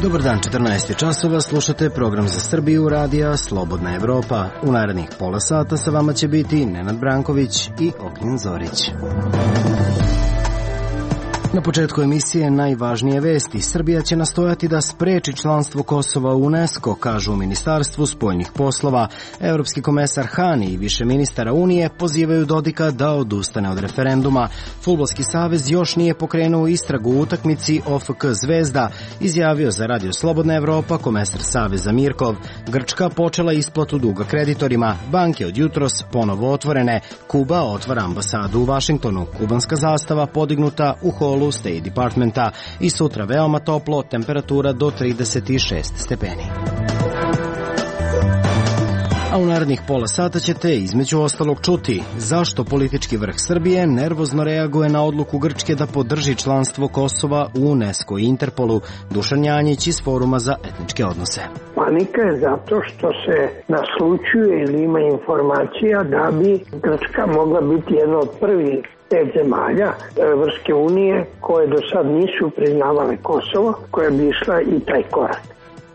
Dobar dan, 14 časova, slušate program za Srbiju radija Slobodna Evropa. U narednih pola sata sa vama će biti Nenad Branković i Ognjen Zorić. Na početku emisije najvažnije vesti. Srbija će nastojati da spreči članstvo Kosova u UNESCO, kažu u Ministarstvu spoljnih poslova. Evropski komesar Hani i više ministara Unije pozivaju Dodika da odustane od referenduma. Fudbalski savez još nije pokrenuo istragu u utakmici OFK Zvezda, izjavio za Radio Slobodna Evropa komesar Saveza Mirkov. Grčka počela isplatu duga kreditorima. Banke od jutros ponovo otvorene. Kuba otvara ambasadu u Vašingtonu. Kubanska zastava podignuta u holu State Departmenta i sutra veoma toplo, temperatura do 36 stepeni. A u narednih pola sata ćete između ostalog čuti zašto politički vrh Srbije nervozno reaguje na odluku Grčke da podrži članstvo Kosova u UNESCO i Interpolu. Dušan Janjić iz Foruma za etničke odnose. Panika je zato što se naslućuje ili ima informacija da bi Grčka mogla biti jedna od prvih 5 zemalja Evropske unije koje do sad nisu priznavale Kosovo, koja bi išla i taj korak.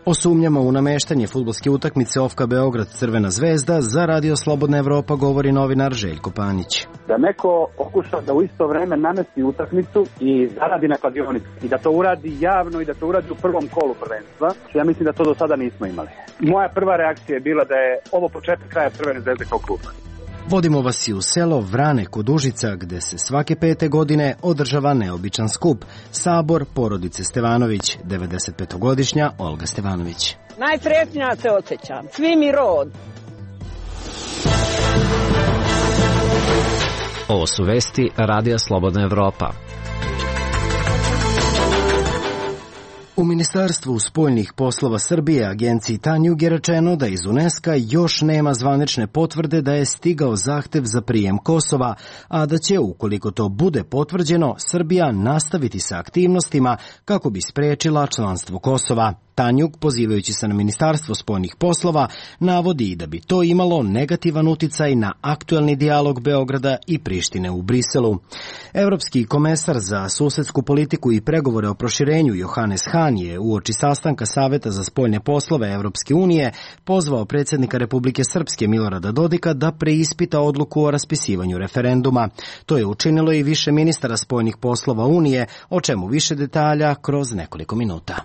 O sumnjama u nameštanje fudbalske utakmice OFK Beograd Crvena zvezda za Radio Slobodna Evropa govori novinar Željko Panić. Da neko pokuša da u isto vreme namesti utakmicu i zaradi na kladionici i da to uradi javno i da to uradi u prvom kolu prvenstva, ja mislim da to do sada nismo imali. Moja prva reakcija je bila da je ovo početak kraja Crvene zvezde kao kluba. Vodimo vas i u selo Vrane kod Užica, gde se svake 5. godine održava neobičan skup. Sabor porodice Stevanović, 95-godišnja Olga Stevanović. Najsretnija se osjećam, svi mi rod. Ovo su vesti Radija Slobodna Evropa. U Ministarstvu spoljnih poslova Srbije agenciji Tanjug je rečeno da iz UNESCO još nema zvanične potvrde da je stigao zahtev za prijem Kosova, a da će, ukoliko to bude potvrđeno, Srbija nastaviti sa aktivnostima kako bi sprečila članstvo Kosova. Tanjug, pozivajući se na Ministarstvo spoljnih poslova, navodi da bi to imalo negativan uticaj na aktuelni dijalog Beograda i Prištine u Briselu. Evropski komesar za susedsku politiku i pregovore o proširenju Johannes Hahn je uoči sastanka Saveta za spoljne poslove Evropske unije pozvao predsjednika Republike Srpske Milorada Dodika da preispita odluku o raspisivanju referenduma. To je učinilo i više ministara spoljnih poslova Unije, o čemu više detalja kroz nekoliko minuta.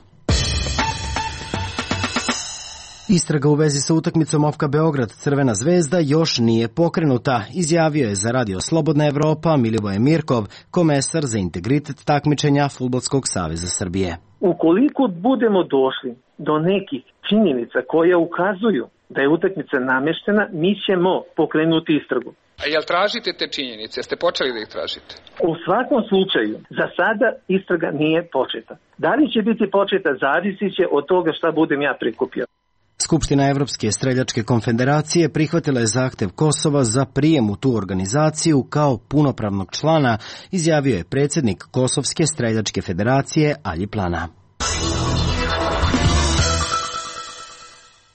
Istraga u vezi sa utakmicom OFK Beograd Crvena zvezda još nije pokrenuta, izjavio je za Radio Slobodna Evropa Milivoje Mirkov, komesar za integritet takmičenja Fudbalskog saveza Srbije. Ukoliko budemo došli do nekih činjenica koje ukazuju da je utakmica nameštena, mi ćemo pokrenuti istragu. A jel tražite te činjenice? Jeste počeli da ih tražite? U svakom slučaju, za sada istraga nije početa. Da li će biti početa, zavisi će od toga šta budem ja prikupio. Skupština Evropske streljačke konfederacije prihvatila je zahtev Kosova za prijem u tu organizaciju kao punopravnog člana, izjavio je predsjednik Kosovske streljačke federacije Alji Plana.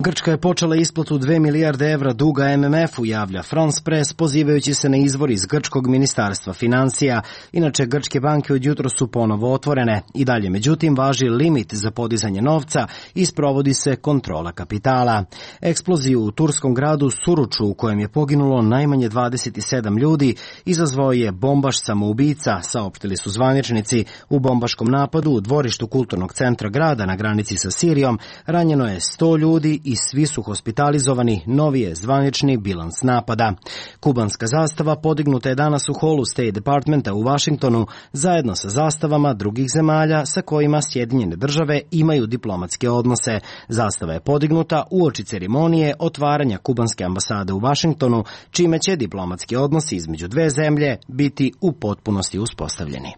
Grčka je počela isplatu 2 milijarde evra duga MMF-u, javlja France Press, pozivajući se na izvor iz grčkog ministarstva financija. Inače, grčke banke od jutro su ponovo otvorene. I dalje, međutim, važi limit za podizanje novca i sprovodi se kontrola kapitala. Eksploziju u turskom gradu Suruču, u kojem je poginulo najmanje 27 ljudi, izazvao je bombaš samoubica, saopštili su zvaničnici. U bombaškom napadu u dvorištu kulturnog centra grada na granici sa Sirijom ranjeno je 100 ljudi i svi su hospitalizovani, novi je zvanični bilans napada. Kubanska zastava podignuta je danas u holu State Departmenta u Vašingtonu zajedno sa zastavama drugih zemalja sa kojima Sjedinjene države imaju diplomatske odnose. Zastava je podignuta uoči ceremonije otvaranja kubanske ambasade u Vašingtonu, čime će diplomatski odnosi između dve zemlje biti u potpunosti uspostavljeni.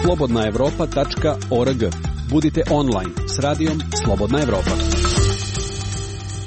slobodnaevropa.org. Budite online s radijom Slobodna Evropa.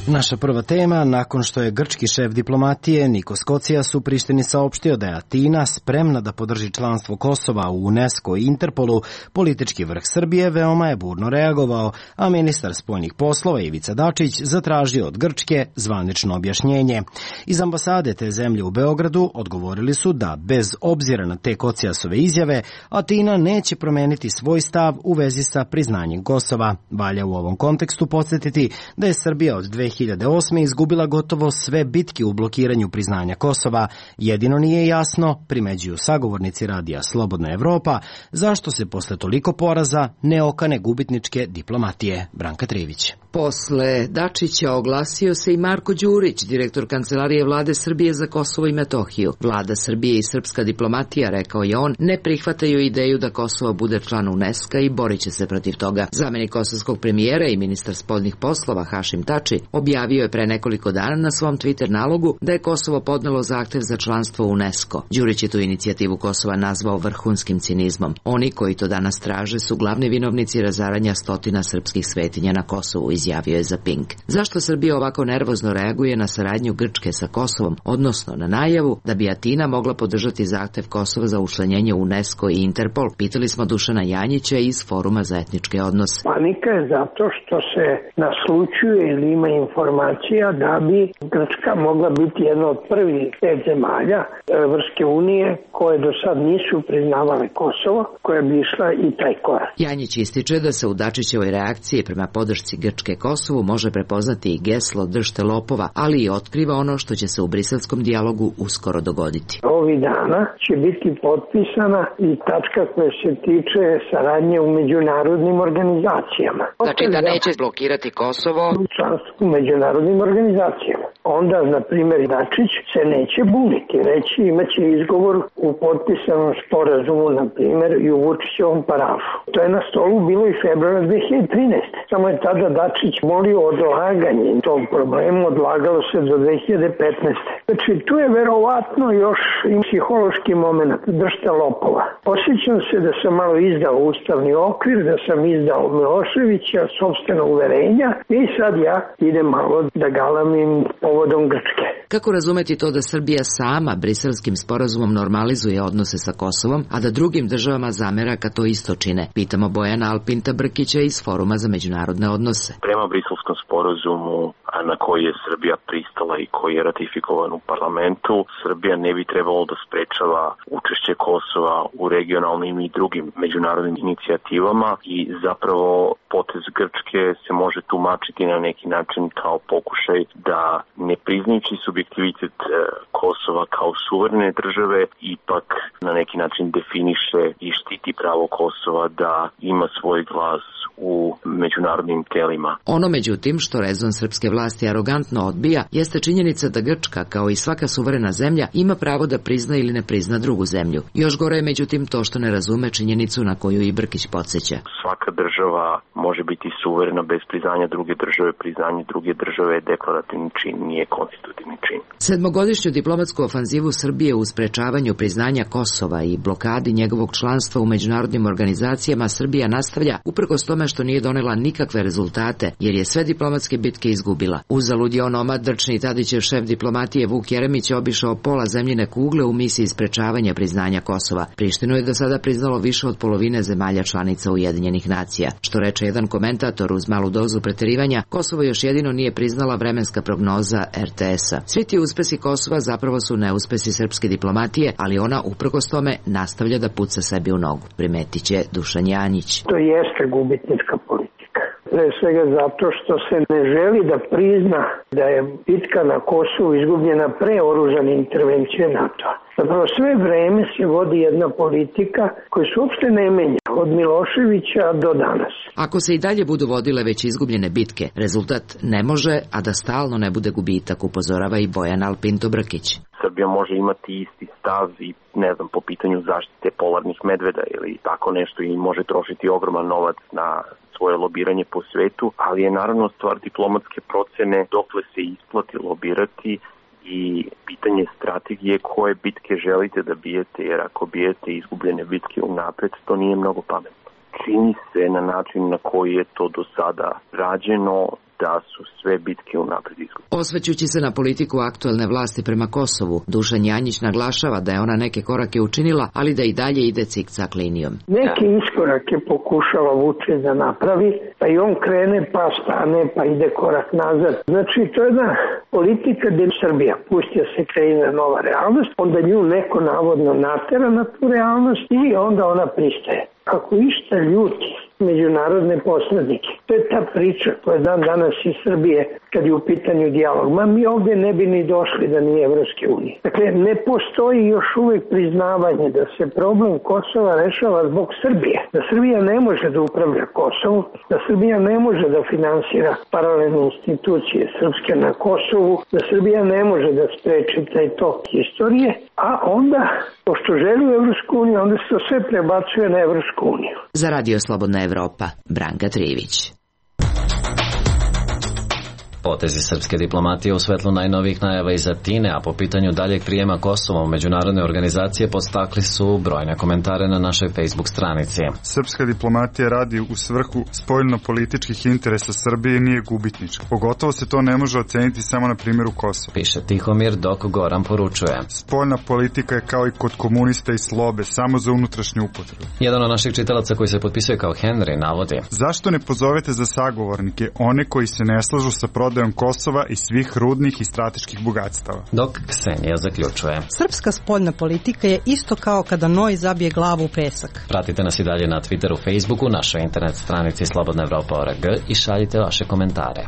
Naša prva tema, nakon što je grčki šef diplomatije Nikos Kocijas u Prištini saopštio da je Atina spremna da podrži članstvo Kosova u UNESCO i Interpolu, politički vrh Srbije veoma je burno reagovao, a ministar spoljnih poslova Ivica Dačić zatražio od Grčke zvanično objašnjenje. Iz ambasade te zemlje u Beogradu odgovorili su da, bez obzira na te Kocijasove izjave, Atina neće promeniti svoj stav u vezi sa priznanjem Kosova. Valja u ovom kontekstu podsjetiti da je Srbija od 2008. izgubila gotovo sve bitke u blokiranju priznanja Kosova. Jedino nije jasno, primeđuju sagovornici radija Slobodna Evropa, zašto se posle toliko poraza ne okane gubitničke diplomatije. Branka Trivić. Posle Dačića oglasio se i Marko Đurić, direktor Kancelarije vlade Srbije za Kosovo i Metohiju. Vlada Srbije i srpska diplomatija, rekao je on, ne prihvataju ideju da Kosovo bude član UNESCO i borit će se protiv toga. Zamenik kosovskog premijera i ministar spoljnih poslova Hašim Tači objavio je pre nekoliko dana na svom Twitter nalogu da je Kosovo podnelo zahtev za članstvo u UNESCO. Đurić je tu inicijativu Kosova nazvao vrhunskim cinizmom. Oni koji to danas traže su glavni vinovnici razaranja stotina srpskih svetinja na Kosovu, izjavio je za Pink. Zašto Srbija ovako nervozno reaguje na saradnju Grčke sa Kosovom, odnosno na najavu da bi Atina mogla podržati zahtev Kosova za učlanjenje u UNESCO i Interpol, pitali smo Dušana Janjića iz Foruma za etničke odnose. Panika je zato što se naslućuje ili ima informacija da bi Grčka mogla biti jedna od prvih 5 zemalja Evropske unije koje do sad nisu priznavale Kosovo, koja bi išla i taj korak. Janjić ističe da se u Dačićevoj reakciji prema podršci Grčke Kosovu može prepoznati i geslo držte lopova, ali i otkriva ono što će se u briselskom dijalogu uskoro dogoditi. Ovih dana će biti potpisana i tačka koja se tiče saradnje u međunarodnim organizacijama. Znači da neće blokirati Kosovo članstvo u međunarodnim organizacijama. Onda, na primjer, Dačić se neće buniti, reći imaće izgovor u potpisanom sporazumu, na primjer, i u Vučićevom parafu. To je na stolu bilo i februara 2013. Samo je tada Dačić molio odlaganje tog problema, odlagalo se do 2015. Znači, tu je verovatno još i psihološki moment, držte lopova. Osjećam se da sam malo izdao ustavni okvir, da sam izdao Miloševića, sopstvena uverenja i sad ja idem malo da galamim povodom Grčke. Kako razumeti to da Srbija sama briselskim sporazumom normalizuje odnose sa Kosovom, a da drugim državama zamera kad to isto čine? Pitamo Bojana Alpinta Brkića iz Foruma za međunarodne odnose. Prema briselskom sporazumu na koji je Srbija pristala i koji je ratifikovan u parlamentu, Srbija ne bi trebalo da sprečava učešće Kosova u regionalnim i drugim međunarodnim inicijativama i zapravo potez Grčke se može tumačiti na neki način kao pokušaj da ne priznajući subjektivitet Kosova kao suverene države ipak na neki način definiše i štiti pravo Kosova da ima svoj glas u međunarodnim telima. Ono međutim što rezon srpske vlasti arogantno odbija jeste činjenica da Grčka, kao i svaka suverena zemlja, ima pravo da prizna ili ne prizna drugu zemlju. Još gore je međutim to što ne razume činjenicu na koju i Brkić podsjeća. Svaka država može biti suverena bez priznanja druge države. Priznanje druge države je deklarativni čin, nije konstitutivni čin. Sedmogodišnju diplomatsku ofanzivu Srbije u sprečavanju priznanja Kosova i blokadi njegovog članstva u međunarodnim organizacijama Srbija nastavlja uprkos tome što nije donela nikakve rezultate, jer je sve diplomatske bitke izgubila. Uzalud je onomad drčni Tadićev šef diplomatije Vuk Jeremić obišao pola zemljine kugle u misiji sprečavanja priznanja Kosova. Prištinu je do sada priznalo više od polovine zemalja članica Ujedinjenih nacija. Što reče jedan komentator uz malu dozu preterivanja, Kosovo još jedino nije priznala vremenska prognoza RTS-a. Svi ti uspesi Kosova zapravo su neuspesi srpske diplomatije, ali ona uprkos tome nastavlja da puca sebi u nogu, primetit će Dušan Janjić. To jeste gubitnička politika. Pre svega zato što se ne želi da prizna da je bitka na Kosovu izgubljena pre oružane intervencije NATO-a. Zapravo sve vreme se vodi jedna politika koja se uopšte ne menja od Miloševića do danas. Ako se i dalje budu vodile već izgubljene bitke, rezultat ne može, a da stalno ne bude gubitak, upozorava i Bojan Alpinto Brkić. Srbija može imati isti stav i po pitanju zaštite polarnih medveda ili tako nešto i može trošiti ogroman novac na svoje lobiranje po svetu, ali je naravno stvar diplomatske procene dokle se isplati lobirati i pitanje strategije koje bitke želite da bijete, jer ako bijete izgubljene bitke unapred, to nije mnogo pametno. Čini se na način na koji je to do sada rađeno da su sve bitke unaprijed izgubljene. Osvrćući se na politiku aktuelne vlasti prema Kosovu, Dušan Janjić naglašava da je ona neke korake učinila, ali da i dalje ide cikcak linijom. Neke iskorake pokušava Vučić da napravi, pa i on krene, pa stane, pa ide korak nazad. Znači, to je jedna politika gde Srbija pusti da se kreira nova realnost, onda nju neko navodno natera na tu realnost i onda ona pristaje. Ako išta ljuti međunarodne posrednike, to je ta priča koja dan danas iz Srbije kad je u pitanju dijalog. Mi ovdje ne bi ni došli da nije Evropske unije. Dakle, ne postoji još uvijek priznavanje da se problem Kosova rešava zbog Srbije. Da Srbija ne može da upravlja Kosovu, da Srbija ne može da finansira paralelne institucije srpske na Kosovu, da Srbija ne može da spreči taj tok istorije, a onda, pošto želi u Evropsku uniju, onda se to sve prebacuje na Evropsku uniju. Za Radio Slobodna Evropa, Branka Trivić. Potezi srpske diplomatije u svetlu najnovijih najava iz Atine, a po pitanju daljeg prijema Kosova u međunarodne organizacije podstakli su brojne komentare na našoj Facebook stranici. Srpska diplomatija radi u svrhu spoljno-političkih interesa Srbije i nije gubitnička. Pogotovo se to ne može oceniti samo na primjeru Kosova. Piše Tihomir, dok Goran poručuje. Spoljna politika je kao i kod komunista i slobe, samo za unutrašnju upotrebu. Jedan od naših čitalaca koji se potpisuje kao Henry navodi. Zašto ne pozovete za sagovornike one koji se ne slažu sa prodajom Kosova i svih rudnih i strateških bogatstava? Dok Ksenija zaključuje. Srpska spoljna politika je isto kao kada noj zabije glavu u pesak. Pratite nas i dalje na Twitteru, Facebooku, našoj internet stranici slobodnaevropa.org i šaljite vaše komentare.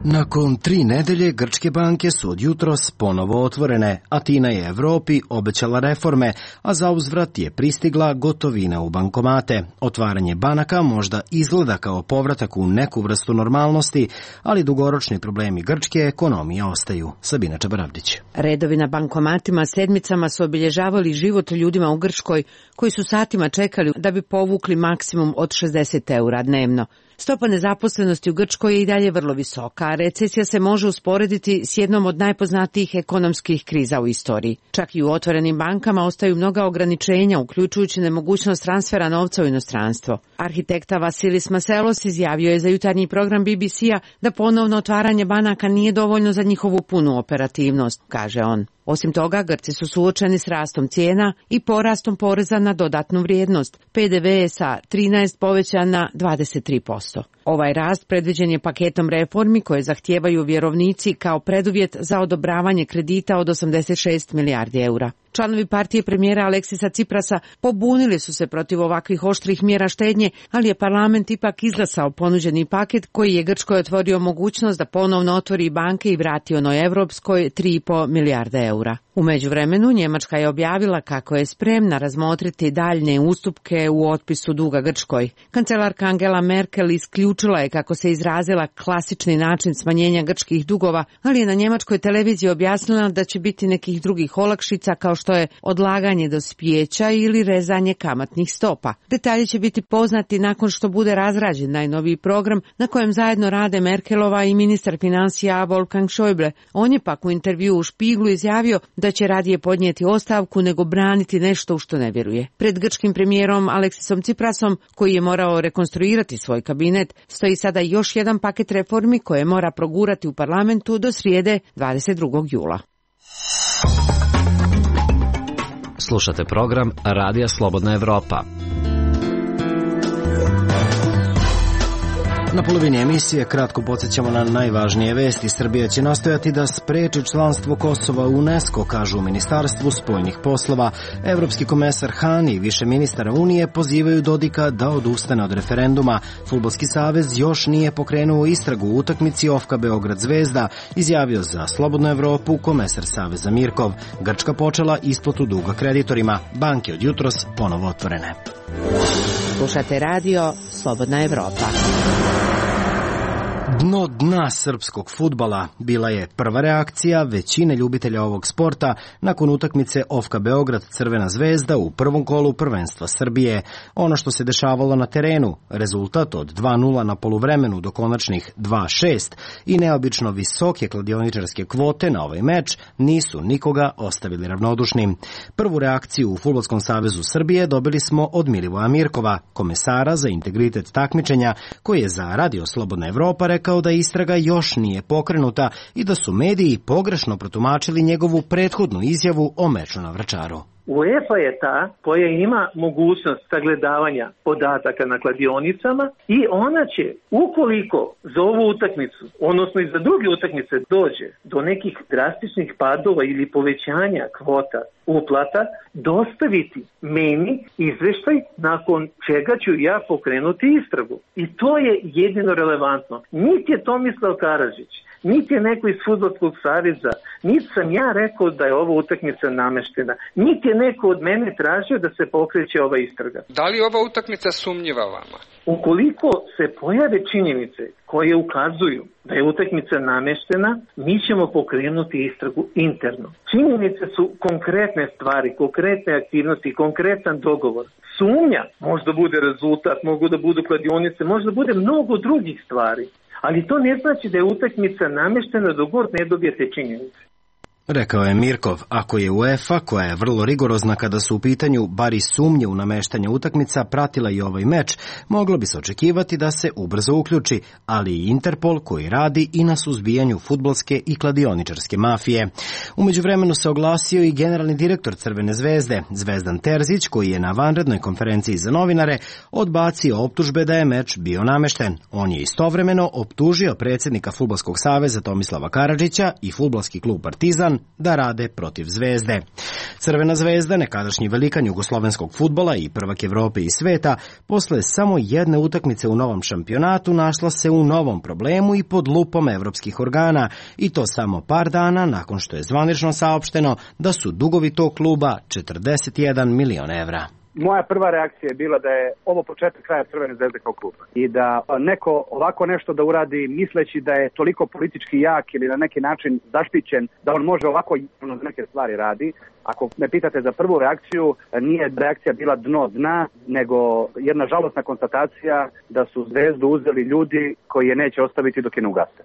Nakon 3 nedelje grčke banke su od jutros ponovo otvorene. Atina je Evropi obećala reforme, a za uzvrat je pristigla gotovina u bankomate. Otvaranje banaka možda izgleda kao povratak u neku vrstu normalnosti, ali dugoročni problemi grčke ekonomije ostaju. Sabina Čabaravdić. Redovi na bankomatima sedmicama su obilježavali život ljudima u Grčkoj, koji su satima čekali da bi povukli maksimum od 60 eura dnevno. Stopa nezaposlenosti u Grčkoj je i dalje vrlo visoka, a recesija se može usporediti s jednom od najpoznatijih ekonomskih kriza u istoriji. Čak i u otvorenim bankama ostaju mnoga ograničenja, uključujući nemogućnost transfera novca u inostranstvo. Arhitekta Vasilis Maselos izjavio je za jutarnji program BBC-a da ponovno otvaranje banaka nije dovoljno za njihovu punu operativnost, kaže on. Osim toga, Grci su suočeni s rastom cijena i porastom poreza na dodatnu vrijednost. PDV je sa 13 povećan na 23%. Ovaj rast predviđen je paketom reformi koje zahtijevaju vjerovnici kao preduvjet za odobravanje kredita od 86 milijardi eura. Članovi partije premijera Aleksisa Ciprasa pobunili su se protiv ovakvih oštrih mjera štednje, ali je parlament ipak izglasao ponuđeni paket koji je Grčkoj otvorio mogućnost da ponovno otvori banke i vrati onoj evropskoj 3,5 milijarde eura. U međuvremenu Njemačka je objavila kako je spremna razmotriti daljne ustupke u otpisu duga Grčkoj. Kancelarka Angela Merkel isključila je, kako se izrazila, klasični način smanjenja grčkih dugova, ali je na njemačkoj televiziji objasnila da će biti nekih drugih olakšica kao što je odlaganje dospijeća ili rezanje kamatnih stopa. Detalji će biti poznati nakon što bude razrađen najnoviji program na kojem zajedno rade Merkelova i ministar financija Wolfgang Schäuble. On je pak u intervju u Špiglu izjavio da će radije podnijeti ostavku nego braniti nešto u što ne vjeruje. Pred grčkim premijerom Aleksisom Ciprasom, koji je morao rekonstruirati svoj kabinet, stoji sada još jedan paket reformi koje mora progurati u parlamentu do srijede 22. jula. Slušate program Radija Slobodna Evropa. Na polovini emisije kratko podsjećamo na najvažnije vesti. Srbija će nastojati da spreči članstvo Kosova u UNESCO, kažu u Ministarstvu spoljnih poslova. Evropski komesar Han i više ministara Unije pozivaju Dodika da odustane od referenduma. Fudbalski savez još nije pokrenuo istragu u utakmici OFK Beograd Zvezda, izjavio za Slobodnu Evropu komesar Saveza Mirkov. Grčka počela isplatu duga kreditorima. Banke od jutros ponovo otvorene. Slušate radio Slobodna Evropa. Dno dna srpskog fudbala bila je prva reakcija većine ljubitelja ovog sporta nakon utakmice OFK Beograd Crvena zvezda u prvom kolu prvenstva Srbije. Ono što se dešavalo na terenu, rezultat od 2:0 na poluvremenu do konačnih 2:6 i neobično visoke kladioničarske kvote na ovaj meč nisu nikoga ostavili ravnodušnim. Prvu reakciju u Fudbalskom savezu Srbije dobili smo od Milivoja Mirkova, komesara za integritet takmičenja, koji je za Radio Slobodna Evropa rekao da istraga još nije pokrenuta i da su mediji pogrešno protumačili njegovu prethodnu izjavu o meču na Vračaru. UEFA je ta koja ima mogućnost sagledavanja podataka na kladionicama i ona će, ukoliko za ovu utakmicu, odnosno i za druge utakmice dođe do nekih drastičnih padova ili povećanja kvota uplata, dostaviti meni izveštaj nakon čega ću ja pokrenuti istragu. I to je jedino relevantno. Niti je Tomislav Karadžić, niti je neko iz Fudbalskog saveza, niti sam ja rekao da je ova utakmica nameštena, niti je neko od mene tražio da se pokreće ova istraga. Da li je ova utakmica sumnjiva vama? Ukoliko se pojave činjenice koje ukazuju da je utakmica nameštena, mi ćemo pokrenuti istragu interno. Činjenice su konkretne stvari, konkretne aktivnosti, konkretan dogovor. Sumnja možda bude rezultat, mogu da budu kladionice, možda bude mnogo drugih stvari. Ali to ne znači da je utakmica nameštena dok god ne dobijete činjenice. Rekao je Mirkov, ako je UEFA, koja je vrlo rigorozna kada su u pitanju bar i sumnje u nameštanje utakmica, pratila i ovaj meč, moglo bi se očekivati da se ubrzo uključi, ali i Interpol koji radi i na suzbijanju fudbalske i kladioničarske mafije. U međuvremenu se oglasio i generalni direktor Crvene zvezde, Zvezdan Terzić, koji je na vanrednoj konferenciji za novinare odbacio optužbe da je meč bio namešten. On je istovremeno optužio predsjednika Fudbalskog saveza Tomislava Karadžića i fudbalski klub Partizan da rade protiv Zvezde. Crvena zvezda, nekadašnji velikan jugoslovenskog fudbala i prvak Evrope i sveta, posle samo jedne utakmice u novom šampionatu našla se u novom problemu i pod lupom evropskih organa, i to samo par dana nakon što je zvanično saopšteno da su dugovi tog kluba 41 milion evra. Moja prva reakcija je bila da je ovo početak kraja Crvene zvezde kao kluba i da neko ovako nešto da uradi misleći da je toliko politički jak ili na neki način zaštićen da on može ovako neke stvari radi. Ako me pitate za prvu reakciju, nije reakcija bila dno dna, nego jedna žalosna konstatacija da su Zvezdu uzeli ljudi koji je neće ostaviti dok je ne ugase.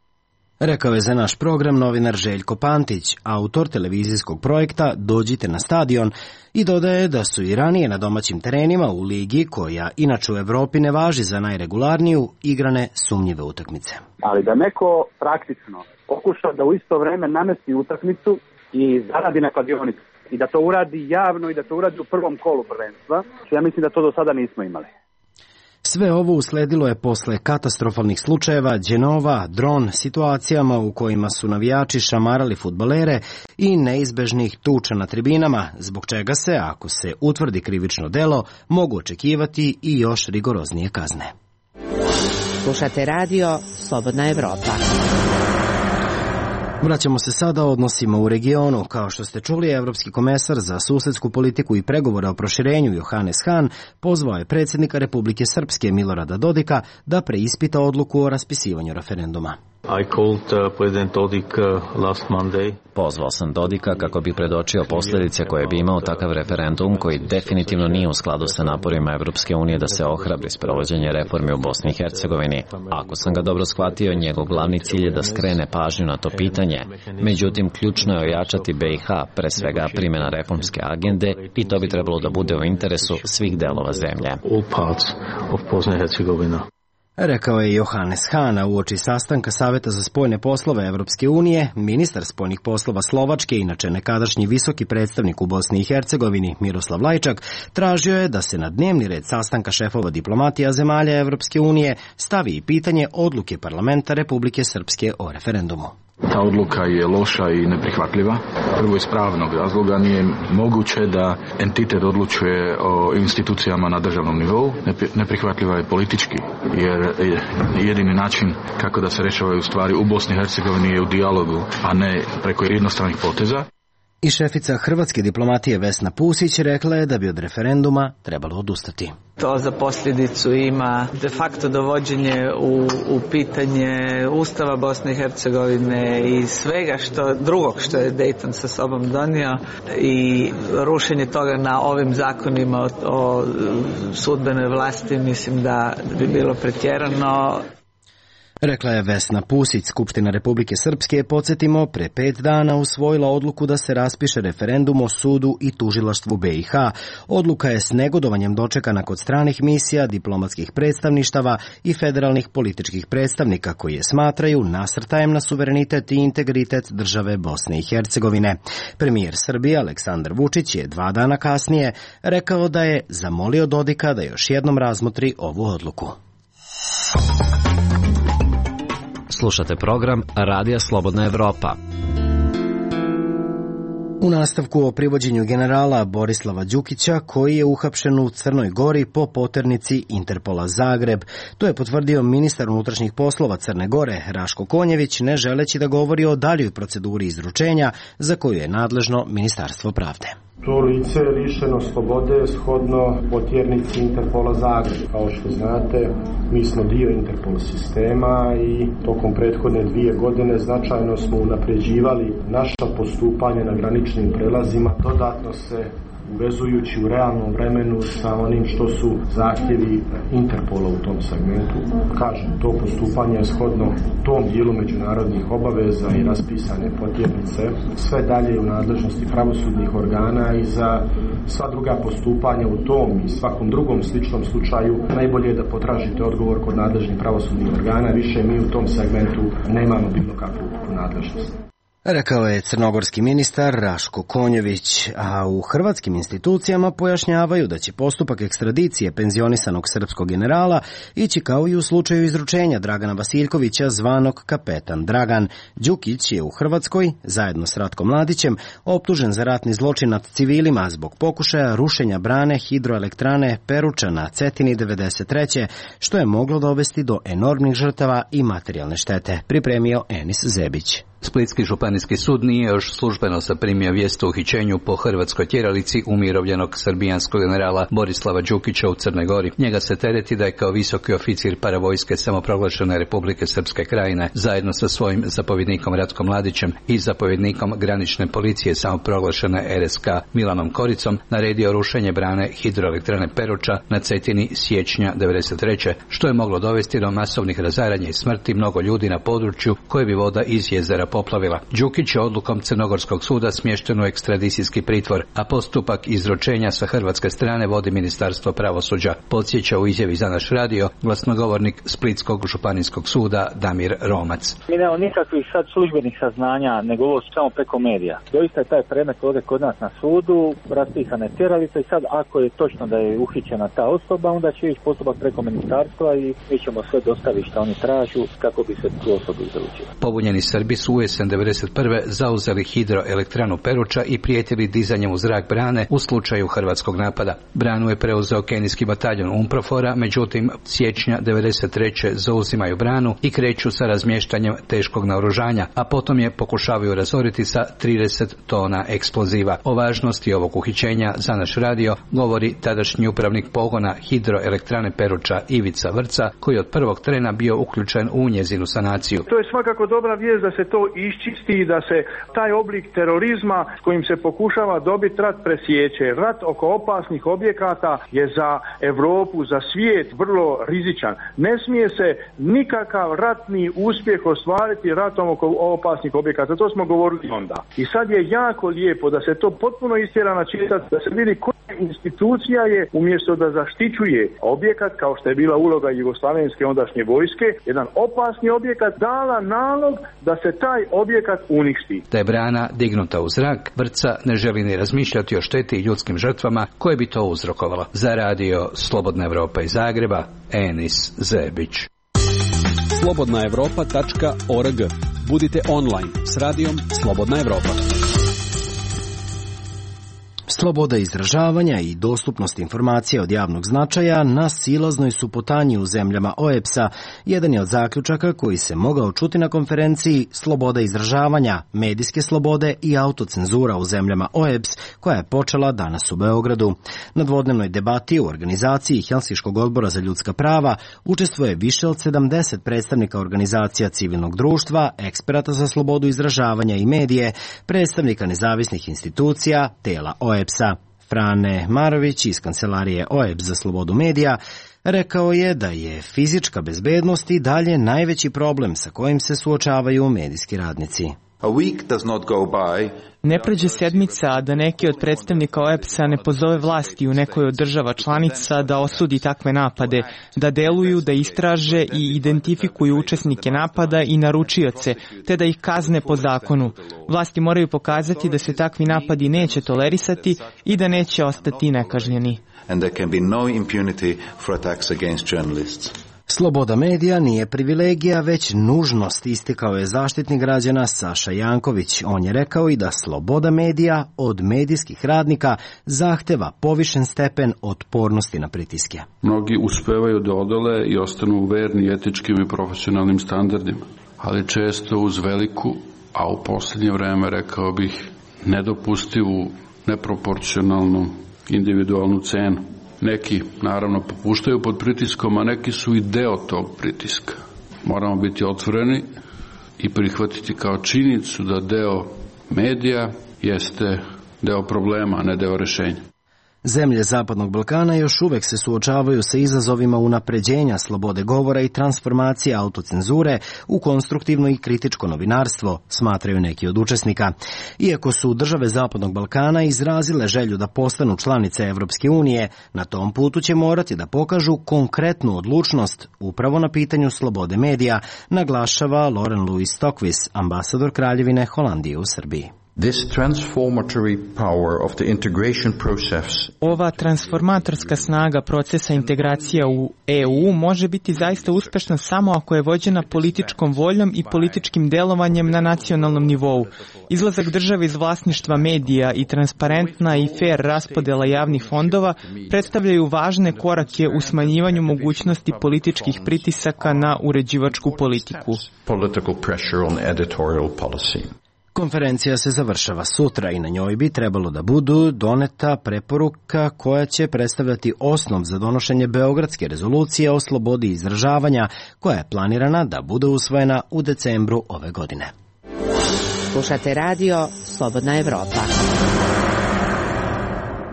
Rekao je za naš program novinar Željko Pantić, autor televizijskog projekta Dođite na stadion, i dodaje da su i ranije na domaćim terenima u ligi, koja inače u Evropi ne važi za najregularniju, igrane sumnjive utakmice. Ali da neko praktično pokuša da u isto vreme namesti utakmicu i zaradi na kladionicu i da to uradi javno i da to uradi u prvom kolu prvenstva, ja mislim da to do sada nismo imali. Sve ovo usledilo je posle katastrofalnih slučajeva Đenova, Dron, situacijama u kojima su navijači šamarali fudbalere i neizbežnih tuča na tribinama, zbog čega se, ako se utvrdi krivično delo, mogu očekivati i još rigoroznije kazne. Slušate radio Slobodna Evropa. Vraćamo se sada odnosima u regionu. Kao što ste čuli, evropski komesar za susedsku politiku i pregovore o proširenju Johannes Hahn pozvao je predsjednika Republike Srpske Milorada Dodika da preispita odluku o raspisivanju referenduma. Pozvao sam Dodika kako bi predočio posljedice koje bi imao takav referendum, koji definitivno nije u skladu sa naporima Evropske unije da se ohrabri sprovođenje reformi u Bosni i Hercegovini. Ako sam ga dobro shvatio, njegov glavni cilj je da skrene pažnju na to pitanje. Međutim, ključno je ojačati BiH, pre svega primjena reformske agende, i to bi trebalo da bude u interesu svih delova zemlje. Rekao je Johannes Hahn uoči sastanka Saveta za spoljne poslove Evropske unije. Ministar spoljnih poslova Slovačke, inače nekadašnji visoki predstavnik u Bosni i Hercegovini Miroslav Lajčak, tražio je da se na dnevni red sastanka šefova diplomatija zemalja Evropske unije stavi i pitanje odluke parlamenta Republike Srpske o referendumu. Ta odluka je loša i neprihvatljiva. Prvo iz pravnog razloga nije moguće da entitet odlučuje o institucijama na državnom nivou. Neprihvatljiva je politički, jer jedini način kako da se rešavaju stvari u Bosni i Hercegovini je u dijalogu, a ne preko jednostranih poteza. I šefica hrvatske diplomatije Vesna Pusić rekla je da bi od referenduma trebalo odustati. To za posljedicu ima de facto dovođenje u pitanje Ustava Bosne i Hercegovine i svega drugog što je Dayton sa sobom donio i rušenje toga na ovim zakonima o sudbenoj vlasti, mislim da bi bilo pretjerano. Rekla je Vesna Pusić. Skupština Republike Srpske je, podsjetimo, pre 5 dana usvojila odluku da se raspiše referendum o sudu i tužilaštvu BiH. Odluka je s negodovanjem dočekana kod stranih misija, diplomatskih predstavništava i federalnih političkih predstavnika koji je smatraju nasrtajem na suverenitet i integritet države Bosne i Hercegovine. Premijer Srbije Aleksandar Vučić je 2 dana kasnije rekao da je zamolio Dodika da još jednom razmotri ovu odluku. Slušate program Radija Slobodna Evropa. U nastavku o privođenju generala Borislava Đukića, koji je uhapšen u Crnoj Gori po poternici Interpola Zagreb. To je potvrdio ministar unutrašnjih poslova Crne Gore Raško Konjević, ne želeći da govori o daljoj proceduri izručenja za koju je nadležno Ministarstvo pravde. To lice je lišeno slobode shodno potjernici Interpola Zagreb. Kao što znate, mi smo dio Interpol sistema i tokom prethodne 2 godine značajno smo unapređivali naša postupanja na graničnim prelazima, dodatno se uvezujući u realnom vremenu sa onim što su zahtjevi Interpola u tom segmentu. Kažem, to postupanje je shodno tom dijelu međunarodnih obaveza i raspisane potjernice. Sve dalje u nadležnosti pravosudnih organa i za sva druga postupanja u tom i svakom drugom sličnom slučaju najbolje je da potražite odgovor kod nadležnih pravosudnih organa. Više mi u tom segmentu nemamo bilo kakvu nadležnost. Rekao je crnogorski ministar Raško Konjević, a u hrvatskim institucijama pojašnjavaju da će postupak ekstradicije penzionisanog srpskog generala ići kao i u slučaju izručenja Dragana Vasiljkovića, zvanog Kapetan Dragan. Đukić je u Hrvatskoj, zajedno s Ratkom Mladićem, optužen za ratni zločin nad civilima zbog pokušaja rušenja brane hidroelektrane Peruča na Cetini 93. što je moglo dovesti do enormnih žrtava i materijalne štete, pripremio Enis Zebić. Splitski županijski sud nije još službeno zaprimio vijest o uhićenju po hrvatskoj tjeralici umirovljenog srbijanskog generala Borislava Đukića u Crnoj Gori. Njega se tereti da je kao visoki oficir paravojske samoproglašene Republike Srpske Krajine zajedno sa svojim zapovjednikom Ratkom Mladićem i zapovjednikom granične policije samoproglašene RSK Milanom Koricom naredio rušenje brane hidroelektrane Peruča na Cetini siječnja 93. što je moglo dovesti do masovnih razaranja i smrti mnogo ljudi na području koje bi voda iz jezera poplavila. Đukić je odlukom Crnogorskog suda smješten u ekstradicijski pritvor, a postupak izručenja sa hrvatske strane vodi Ministarstvo pravosuđa, podsjeća u izjavi za naš radio glasnogovornik Splitskog županijskog suda Damir Romac. Mi nemamo nikakvih sad službenih saznanja, nego ovo samo preko medija. Doista je taj predmet ovdje kod nas na sudu, raspisana je tjeralica i sad ako je točno da je uhićena ta osoba, onda će ići postupak preko ministarstva i mi ćemo sve dostaviti što oni tražu kako bi se tu osobu izručila. Pobunjeni Srbi su u jesen 1991. zauzeli hidroelektranu Peruča i prijetili dizanjem u zrak brane u slučaju hrvatskog napada. Branu je preuzeo kenijski bataljon UNPROFOR-a, međutim siječnja 1993. zauzimaju branu i kreću sa razmještanjem teškog naoružanja, a potom je pokušavaju razoriti sa 30 tona eksploziva. O važnosti ovog uhićenja za naš radio govori tadašnji upravnik pogona hidroelektrane Peruča Ivica Vrca, koji od prvog trena bio uključen u njezinu sanaciju. To je svakako dobra vijest da se to iščisti i da se taj oblik terorizma s kojim se pokušava dobiti rat presjeće. Rat oko opasnih objekata je za Europu, za svijet vrlo rizičan. Ne smije se nikakav ratni uspjeh ostvariti ratom oko opasnih objekata. To smo govorili onda. I sad je jako lijepo da se to potpuno istjera na čistac, da se vidi koja institucija je umjesto da zaštićuje objekat, kao što je bila uloga jugoslavenske ondašnje vojske, jedan opasni objekat, dala nalog da se taj objekat uništi. Da je brana dignuta u zrak, Vrca ne želi ni razmišljati o šteti i ljudskim žrtvama koje bi to uzrokovalo. Za radio Slobodna Evropa iz Zagreba, Enis Zebić. slobodnaevropa.org. Budite online s radijom Slobodna Evropa. Sloboda izražavanja i dostupnost informacija od javnog značaja na silaznoj su putanji u zemljama OEBS-a. Jedan je od zaključaka koji se mogao čuti na konferenciji Sloboda izražavanja, medijske slobode i autocenzura u zemljama OEBS, koja je počela danas u Beogradu. Na dvodnevnoj debati u organizaciji Helsinškog odbora za ljudska prava učestvuje više od 70 predstavnika organizacija civilnog društva, eksperata za slobodu izražavanja i medije, predstavnika nezavisnih institucija, tela OEBS-a. Frane Marović iz kancelarije OEBS za slobodu medija rekao je da je fizička bezbednost i dalje najveći problem sa kojim se suočavaju medijski radnici. Ne prođe sedmica, a da neki od predstavnika OEBS-a ne pozove vlasti u nekoj od država članica da osudi takve napade, da deluju, da istraže i identifikuju učesnike napada i naručioce, te da ih kazne po zakonu. Vlasti moraju pokazati da se takvi napadi neće tolerisati i da neće ostati nekažnjeni. Sloboda medija nije privilegija, već nužnost, istakao je zaštitnik građana Saša Janković. On je rekao i da sloboda medija od medijskih radnika zahteva povišen stepen otpornosti na pritiske. Mnogi uspevaju da odole i ostanu verni etičkim i profesionalnim standardima, ali često uz veliku, a u posljednje vreme rekao bih nedopustivu, neproporcionalnu individualnu cenu. Neki, naravno, popuštaju pod pritiskom, a neki su i deo tog pritiska. Moramo biti otvoreni i prihvatiti kao činjenicu da deo medija jeste deo problema, a ne deo rešenja. Zemlje Zapadnog Balkana još uvek se suočavaju sa izazovima unapređenja slobode govora i transformacije autocenzure u konstruktivno i kritičko novinarstvo, smatraju neki od učesnika. Iako su države Zapadnog Balkana izrazile želju da postanu članice Evropske unije, na tom putu će morati da pokažu konkretnu odlučnost upravo na pitanju slobode medija, naglašava Loren Louis Stokvis, ambasador Kraljevine Holandije u Srbiji. Ova transformatorska snaga procesa integracija u EU može biti zaista uspešna samo ako je vođena političkom voljom i političkim delovanjem na nacionalnom nivou. Izlazak države iz vlasništva medija i transparentna i fair raspodela javnih fondova predstavljaju važne korake u smanjivanju mogućnosti političkih pritisaka na uređivačku politiku. Konferencija se završava sutra i na njoj bi trebalo da budu doneta preporuka koja će predstavljati osnov za donošenje Beogradske rezolucije o slobodi izražavanja, koja je planirana da bude usvojena u decembru ove godine. Slušate radio Slobodna Evropa.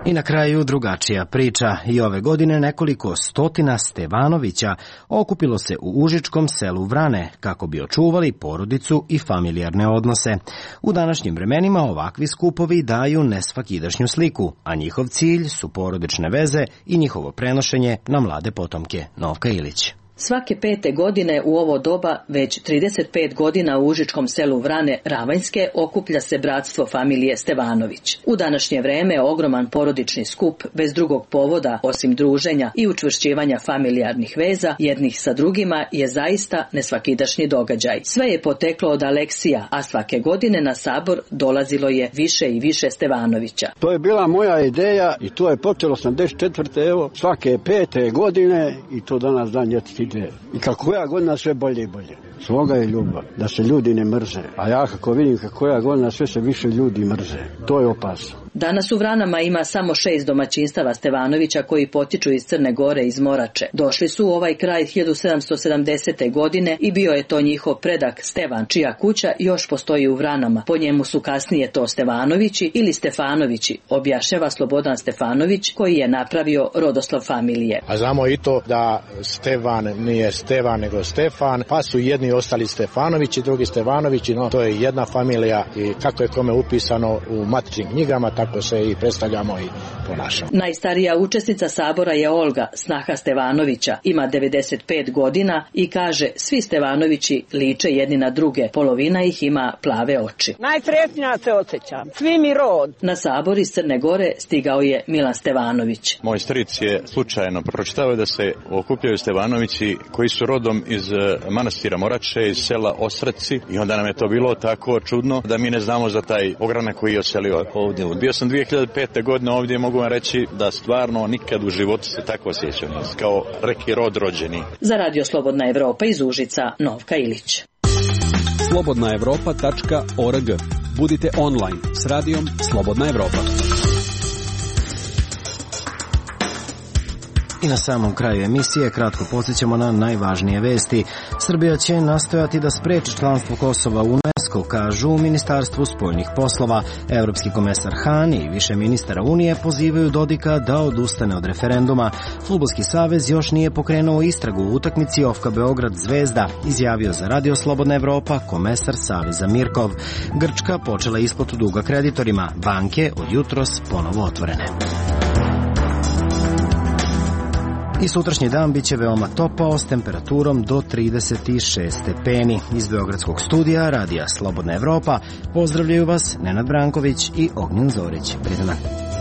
I na kraju drugačija priča. I ove godine nekoliko stotina Stevanovića okupilo se u užičkom selu Vrane kako bi očuvali porodicu i familijarne odnose. U današnjim vremenima ovakvi skupovi daju nesvakidašnju sliku, a njihov cilj su porodične veze i njihovo prenošenje na mlade potomke. Novka Ilić. Svake 5. godine u ovo doba, već 35 godina u užičkom selu Vrane Ravanjske, okuplja se bratstvo familije Stevanović. U današnje vreme ogroman porodični skup, bez drugog povoda, osim druženja i učvršćivanja familijarnih veza jednih sa drugima, je zaista nesvakidašnji događaj. Sve je poteklo od Aleksija, a svake godine na sabor dolazilo je više i više Stevanovića. To je bila moja ideja i to je počelo 84. evo, svake 5. godine i to danas dan ide. I kako ja godina sve bolje i bolje. Sloga je ljubav, da se ljudi ne mrze. A ja kako vidim kako ja godina sve se više ljudi mrze. To je opasno. Danas u Vranama ima samo 6 domaćinstava Stevanovića koji potiču iz Crne Gore, iz Morače. Došli su u ovaj kraj 1770. godine i bio je to njihov predak Stevan, čija kuća još postoji u Vranama. Po njemu su kasnije to Stevanovići ili Stefanovići, objašnjava Slobodan Stefanović, koji je napravio rodoslov familije. A znamo i to da Stevan nije Stevan nego Stefan, pa su jedni ostali Stefanovići, drugi Stevanovići, no to je jedna familija i kako je kome upisano u matičnim knjigama, tako se i predstavljamo i ponašamo. Najstarija učesnica sabora je Olga, snaha Stevanovića. Ima 95 godina i kaže svi Stevanovići liče jedni na druge. Polovina ih ima plave oči. Najsretnija se osjećam. Svi mi rod. Na sabor iz Crne Gore stigao je Milan Stevanović. Moj stric je slučajno pročitao da se okupljaju Stevanovići koji su rodom iz manastira Morače, iz sela Osraci, i onda nam je to bilo tako čudno da mi ne znamo za taj ogranak koji je oselio ovdje. Bio sam 2005. godine ovdje, mogu vam reći da stvarno nikad u životu se tako osjećam, kao reki rod rođeni. Za Radio Slobodna Evropa iz Užica, Novka Ilić. slobodnaevropa.org. Budite online s radijom Slobodna Evropa. I na samom kraju emisije kratko podsjećamo na najvažnije vesti. Srbija će nastojati da spreči članstvo Kosova u UNESCO, kažu u Ministarstvu spoljnih poslova. Evropski komesar Han i više ministara Unije pozivaju Dodika da odustane od referenduma. Fudbalski savez još nije pokrenuo istragu u utakmici OFK Beograd Zvezda, izjavio za Radio Slobodna Evropa komesar Saveza Mirkov. Grčka počela isplatu duga kreditorima, banke od jutros ponovo otvorene. I sutrašnji dan biće veoma topao s temperaturom do 36 stepeni. Iz Beogradskog studija Radija Slobodna Evropa pozdravljaju vas Nenad Branković i Ognjen Zorić. Prijatno dan.